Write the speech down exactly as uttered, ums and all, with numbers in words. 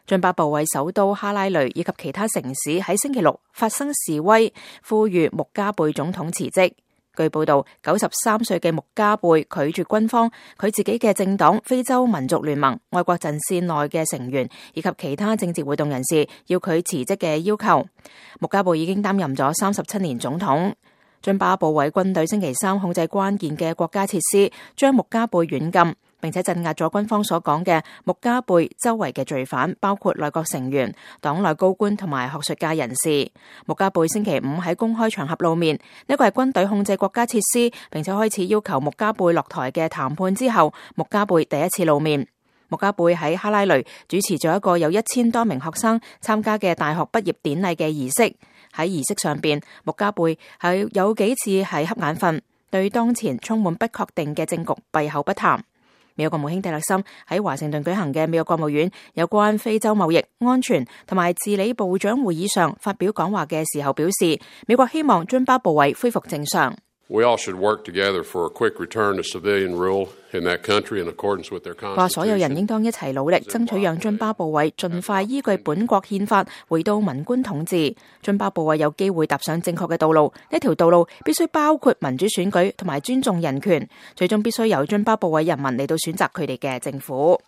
津巴布韋首都哈拉雷以及其他城市喺星期六發生示威，呼籲穆加貝總統辭職。據報道，九十三歲嘅穆加貝拒絕軍方、佢自己嘅政黨非洲民族聯盟、愛國陣線內嘅成員以及其他政治活動人士要佢辭職嘅要求。穆加貝已經擔任咗三十七年總統。津巴布韋軍隊星期三控制關鍵嘅國家設施，將穆加貝軟禁，並且鎮壓咗軍方所講嘅穆加貝周圍嘅罪犯，包括內閣成員、黨內高官同埋學術界人士。穆加貝星期五喺公開場合露面，呢個係軍隊控制國家設施，並且開始要求穆加貝落台嘅談判之後，穆加貝第一次露面。穆加貝喺哈拉雷主持咗一個有一千多名學生參加嘅大學畢業典禮嘅儀式。喺儀式上邊，穆加貝係有幾次係瞌眼瞓，對當前充滿不確定嘅政局閉口不談。美國國務卿蒂勒森喺華盛頓舉行嘅美國國務院有關非洲貿易、安全同埋治理部長會議上發表講話嘅時候表示，美國希望津巴布韋恢復正常。We all should work together for a quick return to civilian rule in that country in accordance with their constitution. 話所有人應當一齊努力，爭取讓津巴布韋盡快依據本國憲法回到文官統治。津巴布韋有機會踏上正確嘅道路，呢條道路必須包括民主選舉同埋尊重人權，最終必須由津巴布韋人民嚟到選擇佢哋嘅政府。